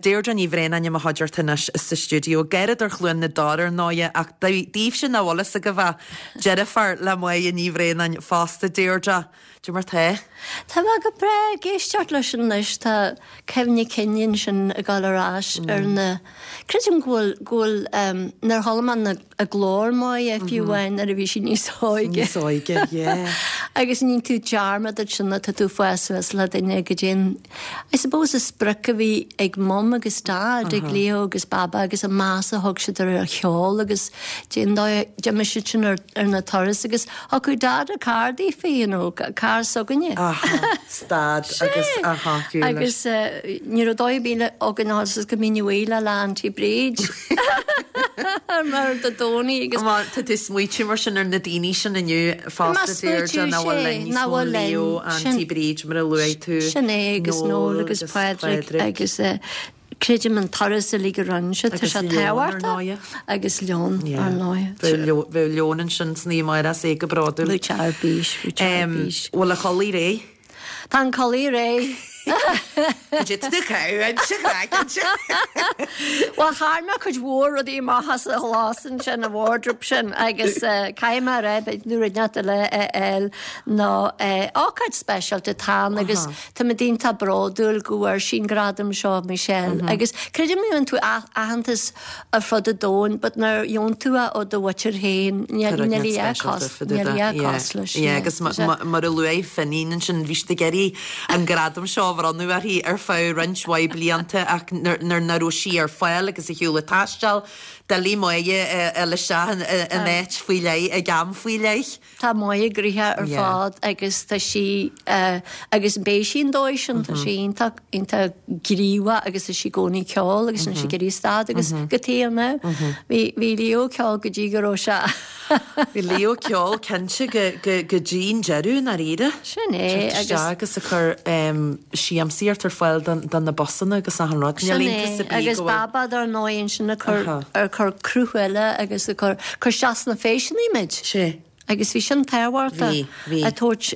Deirdre Ní Bhraonáin i mo chuideachta anois sa stiúideo. Garradóir Chluain na dTor ar ndóighe ach daoibhse nach bhfuil fhios agaibh é, deirfiúr le Máire Ní Bhraonáin fosta. Deirdre, Cad é mar tá? Tá mé go breá ag éisteacht leis anois, tá cuimhne cinn ansin ag dul ar ais ar na, creidim go bhfuil, go bhfuil, nuair a chuala mé na, a glór Máire fiú amháin nuair a bhí sí níos óige. Níos óige, yeah. Agus ní tú dearmad ansin tá tú ag fás suas le duine go dtí an, I suppose an sprioc a bhí ag Mum agus Dad, ag Leo agus Baba agus an meas a thug siad ar an cheol agus dén dóigh a d'imigh siad sin ar ar na turais agus thiocfadh Dad a carr daofa, you know, carr s'againne. Aha, stad agus aha, Agus ní raibh dóigh ar bith againn a fháil go mbínn uaidh le lá Auntie Bríd. Mar do Dónaí agus. Má tá tú ag smaoitiú mar sin ar na daoine sin inniu fosta Deirdre nach bhfuil linn níos mó, Leo, Auntie Bríd mar a luaigh tú, Sin é agus Noel agus Pádraig agus creidim an turas uilig a rinne siad, tá sé tábhachtach agus Leon ar ndóigh. Bheadh Leon ansin san oíche amárach is é go bródúil. Bheadh sé ar bís, bheadh sé ar bís. Bhfuil a chodladh réidh? Tá an codladh réidh. Bhuel, chuir mé cuid mhór rudaí amach as an chlós ansin, an wardrobe sin, agus caithfidh mé a rá, b'fhéidir nó rud inteacht eile a fháil nó ócáid speisialta atá ann agus tá muid iontach bródúil go bhfuair sí an gradam seo, Michelle. Agus creidim go bhfaigheann tú aitheantas ar fud an domhain but nuair a gheobhann tú é ó do mhuintir féin níl a dhath cosúil leis. Yeah agus mar a luaigh Finín ansin bhí siad ag iarraidh an gradam seo a bhronnadh uirthi ar feadh roinnt mhaith blianta ach nuair nach raibh sí ar fáil agus ar shiúl ag taisteal, doiligh Máire a fháil isteach in áit faoi leith ag am faoi leith. Tá Máire gnoitheach ar fad agus tá sí agus beidh sí an dóigh sin, tá sí iontach, iontach gníomhach agus tá sí i gcónaí ag ceol agus níl sí ag iarraidh stad agus go taobh now. Bhí, bhí Leo ag ceol go dtí go raibh sé Bhí Leo ag ceol cinnte go, go, go dtí an deireadh i ndáiríre. Sin é agus. Isteach agus ag cur siamsaíocht ar fáil do, do na busanna agus achan rud. Sin é agus Baba dar ndóigh ansin ag cur, ag cur cruth eile agus ag cur, cur isteach sna feiseanna muid. Sea. Agus bhí sin tábhachtach. Bhí, bhí. Ag tabhairt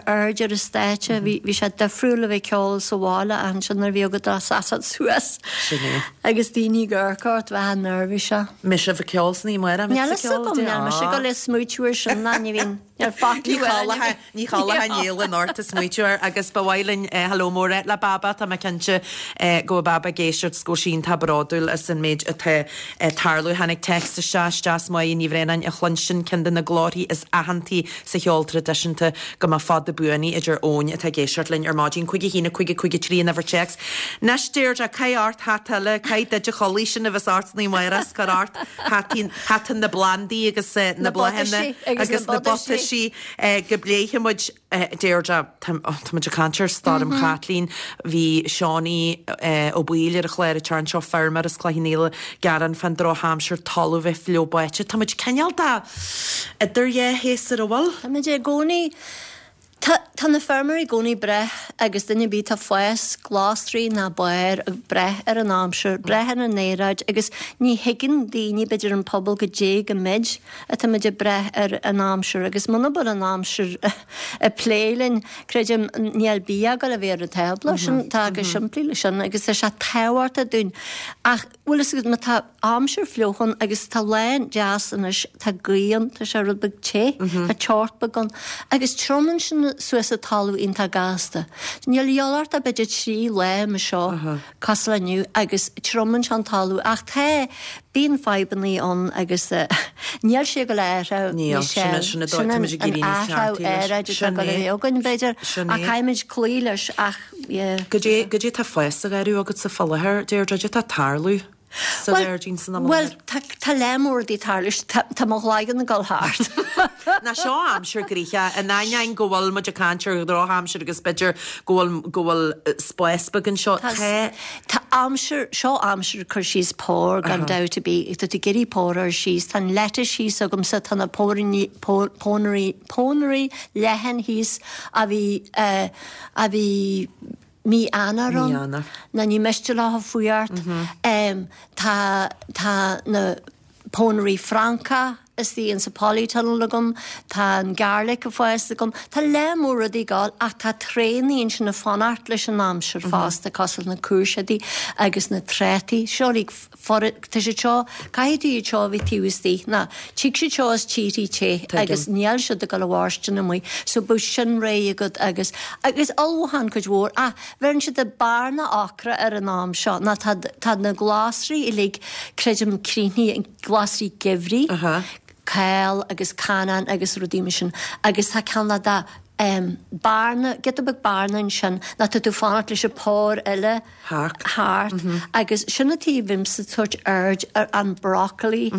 aird ar an stáitse. Bhí, bhí sé difriúil a bheith ag ceol sa bhaile ach ansin nuair a bhí agat a seasamh suas. Sin é. Agus daoine ag amharc ort, bheifeá neirbhíseach. Mbeidh sibh ag ceol san oíche amárach, Níl a fhios agam, níl mise ag dul ag smaoitiú ar sin ná ní bhíonn, níl faic uaim. Ní chodlódh Niall anocht ag smaoitiú air agus ba mhaith linn hello mór a rá le Baba, tá mé cinnte go bhfuil Baba ag éisteacht is go bhfuil sí iontach bródúil as an méid atá ag tarlú. Tháinig téacs isteach, is deas Máire Ní Bhraonáin a chluinstin, ceann de na glórthaí is aitheantaí sa cheol traidisiúnta, go mba fada buan í, a deir Eoin atá ag éisteacht linn ar maidin. 5 1 5 5 3 an uimhir téacs. Anois Deirdre, caith ort hata eile, caith duit a chodladh sin a bheas ort san oíche amárach is cuir ort hataí, hata na bplandaí agus na bláthanna agus na butaisí. Go bpléifidh muid, Deirdre, tá muid ag caint ar Stoirm Chaitlín, bhí Seánie Ó Baoill ar an chlár an tseachtain seo, feirmeoir as Cloich Cheann Fhaola, ag gearán fán drochaimsir, talamh bheith fliuch báite. Tá muid cineál de idir dhá shéasúr, an bhfuil? Tá muid i gcónaí, tá, tá na feirmeoirí i gcónaí ag brath agus duine ar bith atá ag fás glasraí ná barr ag brath ar an aimsir, brath ar an aeráid agus ní thuigeann daoine, b'fhéidir an pobal goidé go méid atá muid ag brath ar an aimsir agus muna bhfuil an aimsir ag plé linn, creidim, níl bia ag dul a bheith ar an tábla. Sin, tá go simplí leis sin agus tá sé tábhachtach dúinn. Ach bhfuil fhios agat, má tá aimsir fliuch ann agus tá lá deas anois, tá gaoth ann, tá sé rud beag te, tá teocht beag ann agus triomaíonn sin suas an talamh iontach gasta. Níl a dhíobháil ort ach b'fhéidir 3 lá mar seo. cosúil le inniu agus triomaíonn sé an talamh ach tá, bíonn fadhbannaí ann agus níl sé ag dul a athrú Níl, sin é, sin é dóigh, tá muid ag éirí níos ceartaí leis. Aeráid atá ag dul a bheith againn b'fhéidir ach caithfimid cloí leis ach yeah. Goidé, goidé tá ag fás sa gharradh agatsa fá láthair, Deirdre, goidé tá ag tarlú sa ghairdín san am i láthair? Bhuel, tá, tá lear mór rudaí ag tarlú, tá, tá mo chloigeann ag dul thart. Ná seo aimsir gnoitheach, in ainneoin go bhfuil muid ag caint ar dhrochaimsir agus b'fhéidir go bhfuil, go bhfuil spás beag anseo, tá. Tá aimsir, seo aimsir cur síos pór gan dabht ar bith, tá tú ag iarraidh pór a chur síos, tá an lettuce thíos agamsa, tá na póiríní, pónairí, pónairí leathan thíos a bhí, a bhí mí Eanáir ann, ná ní miste leo fuacht, tá, tá na pónairí Francacha. istigh insa polytunnel agam, tá an garlic ag fás agam, tá lear mór rudaí ag gabháil ach tá tréannaí ansin ag fanacht leis an aimsir fosta cosúil na cúirséidí agus na trátaí, seo uilig tá siad seo, caithfidh tú iad seo a bheith taobh istigh ná tig siad seo as tíorthaí te agus níl siad ag dul a mhairstin amuigh so bíodh sin réidh agat agus agus ullmhúchán cuid mhór ach bheireann siad bearna ocra ar an am seo ná tá tá na glasraí uilig creidim críochnaithe glasraí geimhridh, cál agus canán agus rudaí mar sin agus tá cineál de bearna, giota beag bearna ansin ná tá tú fanacht leis an pór eile thart agus sin an tuige a bhímse ag tabhairt aird ar an broccoli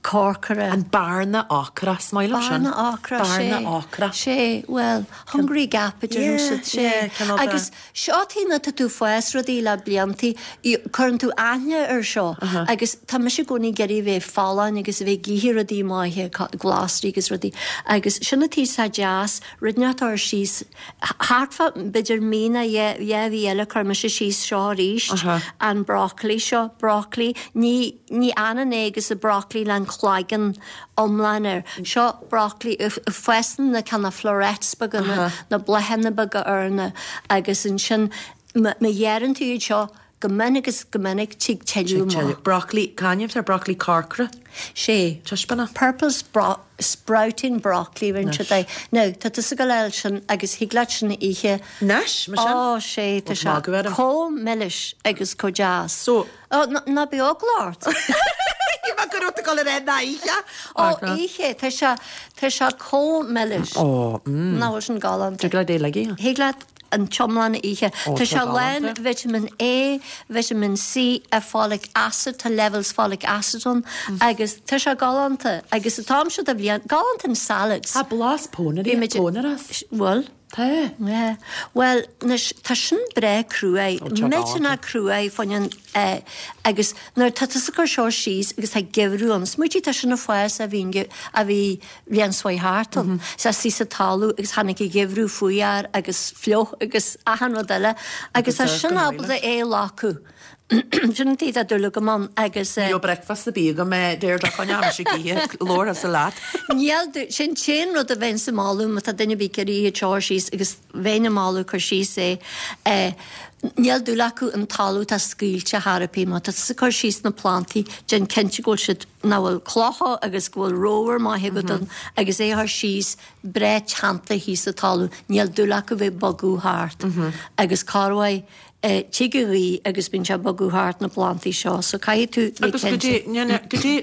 corcra. An bearna ocra, is maith liom sin. Bearna ocra, sé. Bearna ocra. Sé, bhuel, hungry gap a deireann siad, sé. Agus Seo tuige ná tá tú fás rudaí le bliantaí, cuireann tú aithne ar seo agus tá mise i gcónaí ag iarraidh a bheith folláin agus a bheith ag ithe rudaí maithe, glasraí agus rudaí agus sin an tuige atá deas, rud inteacht a chur síos thart fá b'fhéidir mí nó dhá mhí eile cuir mise síos seo arís, an broccoli seo, broccoli, ní, ní ionann é agus an broccoli le an cloigeann iomlán air. Seo broccoli, fásann na cineál florets beaga, na bláthanna beaga air na agus ansin má ghearrann tú iad seo go mion agus go minic tig tuilleadh amach. Broccoli, c'ainm atá ar broccoli corcra? Sé. Taispeána. Purple sprouting broccoli rinne siad é. Now, tá tusa ag gabháil a fháil sin agus thig leat sin a ithe. Anois, mar sin? Ó, sé, tá sé chomh milis agus chomh deas. So. Ó, ná bíodh eagla ort. Shíl mé go raibh tú ag dul a rá ná ithe. Ó, ithe, tá sé, tá sé chomh milis. Ó, mm. Nach bhfuil sin galánta. Tig leat é uilig a ithe. Thig leat an t-iomlán a ithe. Ó, Tá tá sé lán galánta. vitamin A, vitamin C, folic acid, tá levels folic acid ann agus tá sé galánta. Agus an t-am seo de bhliain, galánta in salads. Tá blas pónairí, Bhí muid, pónaire as. bhfuil? Tá. Yeah. Bhuel, anois, tá sin breá cruaidh. Ó, tá Millteanach cruaidh fá choinne an eh, agus nuair atá tusa ag cur seo síos agus tá geimhreadh ann, smaoitigh tá sin ag fás a bhí a bhí bhliain seo thart ann. Is istigh sa talamh agus tháinig an geimhreadh fuar agus fliuch agus achan rud eile agus tá sin ábalta é a ghlacadh. Sin an tuige atá dúil agam ann agus. Ní raibh breakfast ar bith agam Deirdre fá choinne mise ag ithe labhair tusa leat. Níl, sin an t-aon rud a bheinn ag moladh má tá duine ar bith ag iarraidh iad seo a chur síos agus bheinn ag moladh cur síos é. Níl dúil acu an talamh atá scaoilte thar ar bith. Má tá tusa ag cur síos na plantaí, déan cinnte go bhfuil siad, nach bhfuil clocha agus go bhfuil ramhar maith agat ann agus é a chur síos breá teannta thíos sa talamh. Níl dúil acu bheith ag bogadh thart agus corruair Tig an ghaoth agus bíonn sé ag bogadh thart na plantaí seo so caithfidh tú bheith Agus go cinnte. dtí, ní, go dtí,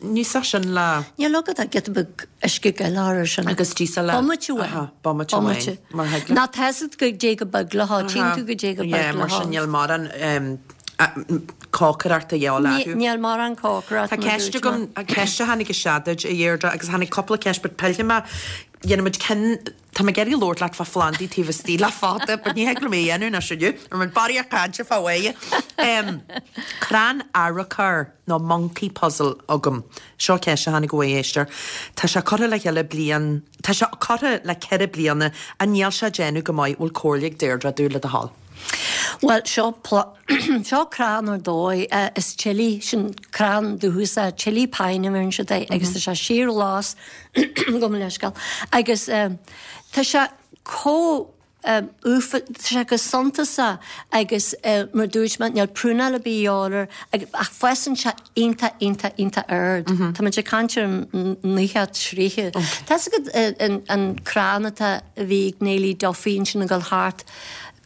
ní sa sin le. Níl agat ach giota beag uisce gile air sin. Agus díosal le. Bomaite amháin. Aha, bomaite amháin. Mar thig le. Ná tá fhios agat goidé chomh bog le há, tchíonn tú goidé chomh Yeah, beag le mar há. sin níl mórán cócaireacht a dhíobháil orthu. Níl mórán cócaireacht Tá mar ceist dúirt mé. agam, ceist a tháinig isteach duit, a Dheirdre, agus tháinig cúpla ceist, but pillfidh mé, dhéanfaidh muid ceann, Tá mé ag iarraidh labhairt leat fá phlandaí taobh istigh le fada, but ní thig liom é a dhéanamh anois inniu. Ar muid barraíocht cainte fá mhaith. Crann arrochar nó monkey puzzle agam. Seo ceist a tháinig ó éisteoir. Tá sé curtha le chéile bliain, tá sé curtha le ceithre bliana ach níl sé ag déanamh go maith, bhfuil comhairle ag Deirdre dúinn le do thoil? Bhuel, seo seo crann ar dóigh, is chili, sin crann dúchasach, chili pine a bheireann siad air agus tá sé síorghlas, gabh mo leithscéal, agus tá sé chomh ufa, tá sé go suntasach agus mar dúirt mé, níl prúnáil ar bith a dhíobháil air ach fásann sé iontach, iontach, iontach ard. Tá muid ag caint ar 90 troighe. Tá fhios agat an crann atá, a bhí ag Neilí Duffy ansin ag dul thart,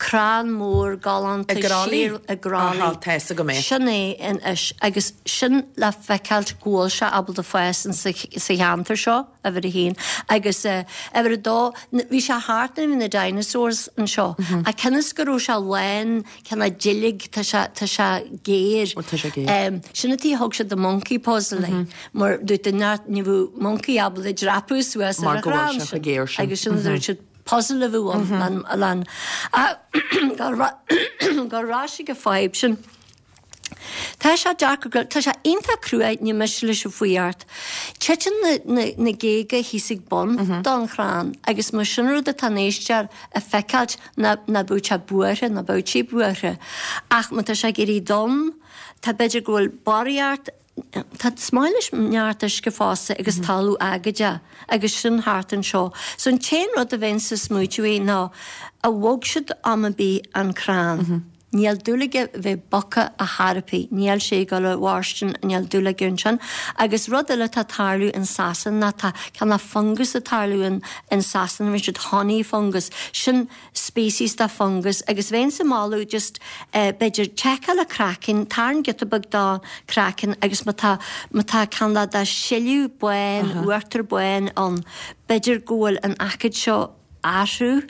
crann mór galánta I gCroithlí? siar i gCroithlí. Aha, tá fhios agam é. Sin é anois agus sin le feiceáilt go bhfuil sé ábalta fás in sa cheantar seo, uimhir a haon. Agus uimhir a dó, bhí sé thart nuair a bhí na dinosaurs anseo ach cionn is go raibh sé lán cineál duilleog, tá sé, tá sé géar. Ó, tá sé géar. Sin an tuige a thug siad the monkey puzzle é, mar dúirt duine ní bheadh monkey ábalta dreapadh suas ar Mar an go bhfuil chrann sé sin. chomh géar sin. Agus sin a dúirt siad. Puzzle a bheadh ann lan gur ar ais ag an fadhb sin. Tá sé deacair go, tá sé iontach cruaidh, ní miste leis an fuireacht. Titeann na, na, na géaga thíos ag bun don chrann agus más sin rud atá an éisteoir ag feiceáilt ná, ná beadh sé buartha, ná beadh sí buartha. Ach má tá sé ag éirí donn, tá b'fhéidir go bhfuil barraíocht. Tá is maith leis neart uisce fosta agus talamh aigéadach agus sin thart anseo. So an t-aon rud a bheinnse ag smaoitiú air ná a bhog siad am ar bith an crann. Níl dúil aige bheith bogtha ar chor ar bith, níl sé ag dul a mhairstin, níl dúil aige ansin. Agus rud eile atá ag tarlú in Sasana ná tá cineál fungus ag tarlú in in Sasana, bhí siad honey fungus, sin species de fungus agus bheinnse ag moladh just eh b'fhéidir seiceáil an craiceann, tarraing giota beag den craiceann agus má tá má tá cineál de sileadh bán, uachtar bán ann, b'fhéidir go bhfuil an aicíd seo athrú.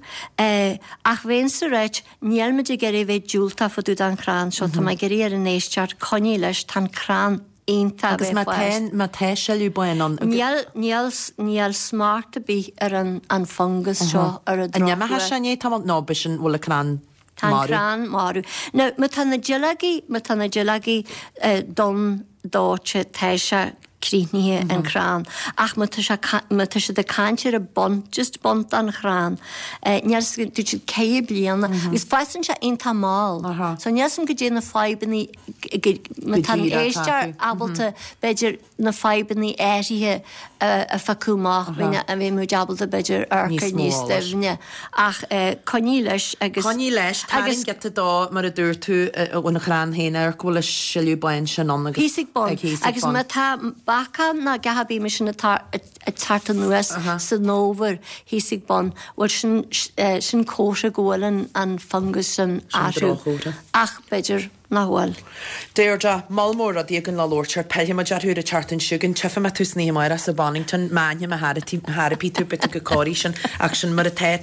Ach bheinnse ag ráit, níl muid ag iarraidh a bheith diúltach fá dtaobh den chrann seo, tá mé ag iarraidh ar an éisteoir coinnigh leis, tá an crann iontach a Agus bheith má tá, má tá sileadh bán ann. Níl, níl, níl smacht ar bith ar an, an fungus seo ar an An imeochaidh sé i ndiaidh tamaill? Nó b'shin, bhfuil an crann Tá an marbh? crann marbh. Now, má tá na duilleogaí, má tá na duilleogaí donn dóite, tá sé críochnaithe an crann. Ach má tá sé, má tá siad ag caint ar an bun, just bun den chrann, níl 'fhios agam, dúirt siad ceithre bliana, agus fásann sé iontach mall. So níl 'fhios agam goidé na fadhbannaí, má tá an éisteoir ábalta, b'fhéidir, na fadhbannaí áirithe a phiocadh amach, bheadh muid ábalta b'fhéidir amharc air níos doimhne. Ach coinnigh leis agus. Coinnigh leis, tarraing giota dó mar a dúirt tú ón chrann féin, amharc go bhfuil an sileadh bán sin ann agus. Thíos ag bun. Agus má tá bacán ná gach ar bith mar sin atá ag teacht anuas san fhómhar thíos ag bun, bhuel sin sin comhartha go bhfuil an fungus sin Sin droch-chomhartha. Ach b'fhéidir. Nach bhfuil. Deirdre, Moll mór rudaí againn le labhairt air, pillfidh muid orthu ar an tseachtain seo chugainn, tchífidh mé tú san oíche amárach sa Bonnington, má aithním ar chor ar bith tú, beidh tú chomh corraithe sin, ach sin mar atá.